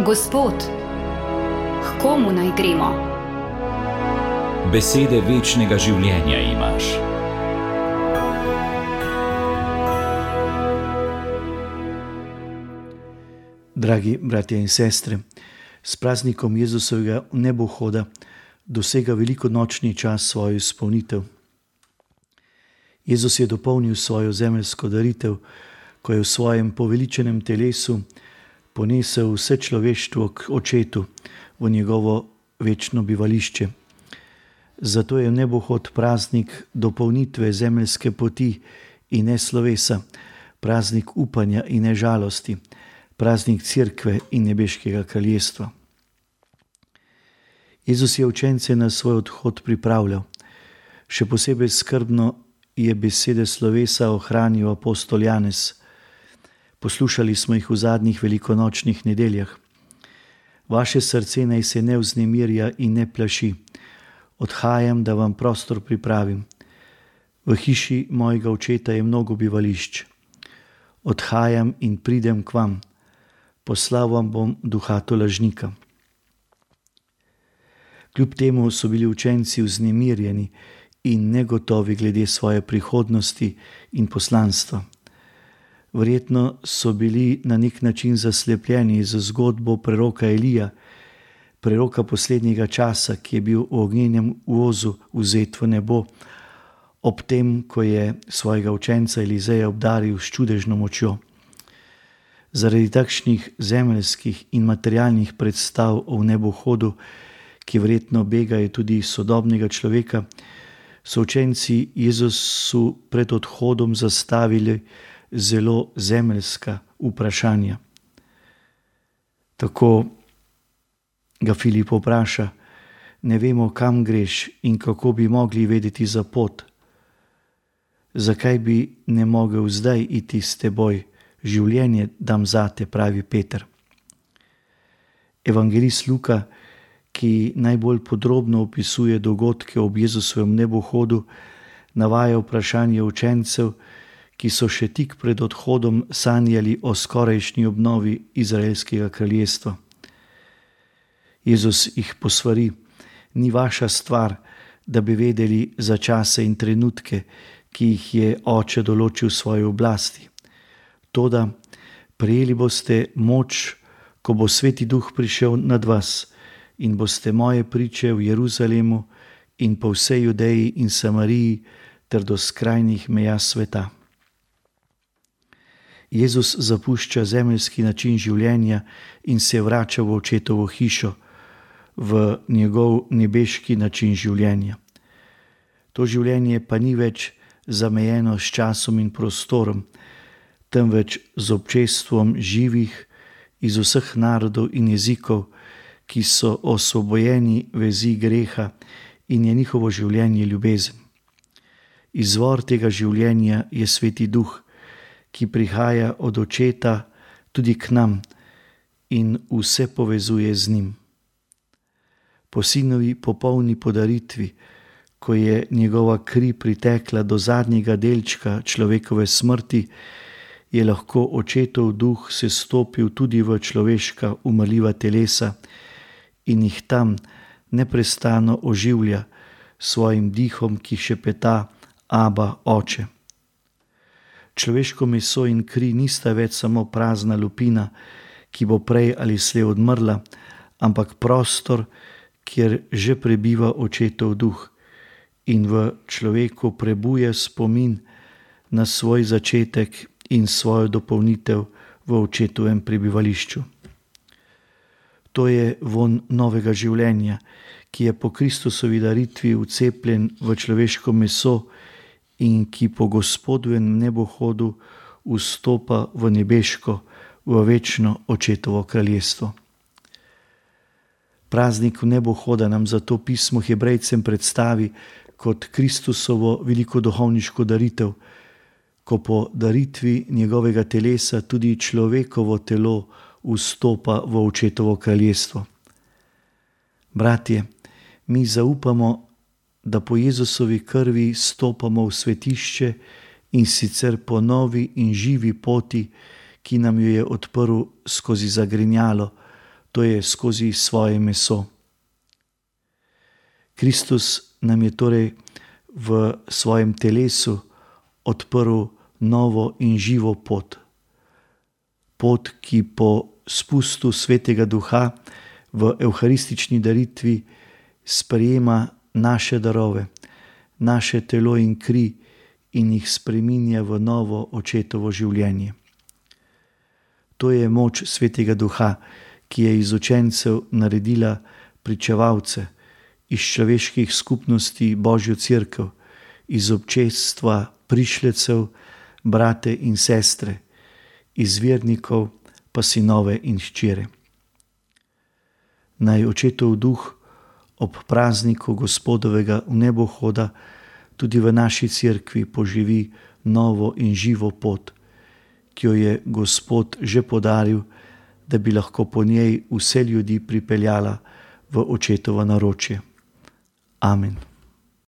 Gospod, k komu naj gremo? Besede večnega življenja imaš. Dragi bratje in sestre, s praznikom Jezusovega nebohoda dosega velikonočni čas svojo izpolnitev. Jezus je dopolnil svojo zemeljsko daritev, ko je v svojem poveličenem telesu ponesel vse človeštvo k Očetu v njegovo večno bivališče. Zato je nebohod praznik dopolnitve zemeljske poti in ne slovesa, praznik upanja in ne žalosti, praznik Cerkve in nebeškega kraljestva. Jezus je učence na svoj odhod pripravljal. Še posebej skrbno je besede slovesa ohranil apostol Janez. Poslušali smo jih v zadnjih velikonočnih nedeljah. Vaše srce naj se ne vznemirja in ne plaši. Odhajam, da vam prostor pripravim. V hiši mojega Očeta je mnogo bivališč. Odhajam in pridem k vam. Poslal vam bom duha tolažnika. Kljub temu so bili učenci vznemirjeni in negotovi glede svoje prihodnosti in poslanstva. Verjetno so bili na nek način zaslepljeni z zgodbo preroka Elija, preroka poslednjega časa, ki je bil v ognjenem vozu vzet v nebo, ob tem, ko je svojega učenca Elizeja obdaril s čudežno močjo. Zaradi takšnih zemeljskih in materialnih predstav o nebohodu, ki verjetno begajo tudi sodobnega človeka, so učenci Jezusu pred odhodom zastavili zelo zemeljska vprašanja. Tako ga Filip vpraša: ne vemo, kam greš in kako bi mogli vedeti za pot. Zakaj bi ne mogel zdaj iti s teboj? Življenje dam zate, pravi Peter. Evangelist Luka, ki najbolj podrobno opisuje dogodke ob Jezusovem nebohodu, navaja vprašanje učencev, ki so še tik pred odhodom sanjali o skorajšnji obnovi izraelskega kraljestva. Jezus jih posvari: ni vaša stvar, da bi vedeli za čase in trenutke, ki jih je Oče določil svoji oblasti. Toda prejeli boste moč, ko bo Sveti Duh prišel nad vas, in boste moje priče v Jeruzalemu in po vsej Judeji in Samariji ter do skrajnih meja sveta. Jezus zapušča zemeljski način življenja in se vrača v Očetovo hišo, v njegov nebeški način življenja. To življenje pa ni več zamejeno s časom in prostorom, temveč z občestvom živih iz vseh narodov in jezikov, ki so osvobojeni vezi greha in je njihovo življenje ljubezen. Izvor tega življenja je Sveti Duh, ki prihaja od Očeta tudi k nam in vse povezuje z njim. Po sinovi popolni podaritvi, ko je njegova kri pritekla do zadnjega delčka človekove smrti, je lahko Očetov duh sestopil tudi v človeška umrljiva telesa in jih tam neprestano oživlja svojim dihom, ki šepeta: Aba, Oče. Človeško meso in kri nista več samo prazna lupina, ki bo prej ali slej odmrla, ampak prostor, kjer že prebiva Očetov duh in v človeku prebuja spomin na svoj začetek in svojo dopolnitev v Očetovem prebivališču. To je vonj novega življenja, ki je po Kristusovi daritvi vcepljen v človeško meso in ki po Gospodovem nebohodu vstopa v nebeško, v večno Očetovo kraljestvo. Praznik nebohoda nam zato pismo Hebrejcem predstavi kot Kristusovo veliko duhovniško daritev, ko po daritvi njegovega telesa tudi človekovo telo vstopa v Očetovo kraljestvo. Bratje, mi zaupamo, da po Jezusovi krvi stopamo v svetišče in sicer po novi in živi poti, ki nam jo je odprl skozi zagrinjalo, to je skozi svoje meso. Kristus nam je torej v svojem telesu odprl novo in živo pot. Pot, ki po spustu Svetega Duha v evharistični daritvi sprejema naše darove, naše telo in kri in jih spreminja v novo očetovo življenje. To je moč Svetega Duha, ki je iz učencev naredila pričevalce, iz človeških skupnosti Božjo cerkev, iz občestva prišlecev, brate in sestre, iz vernikov pa sinove in hčere. Naj Očetov duh ob prazniku Gospodovega vnebohoda tudi v naši cerkvi poživi novo in živo pot, ki jo je Gospod že podaril, da bi lahko po njej vse ljudi pripeljala v Očetovo naročje. Amen.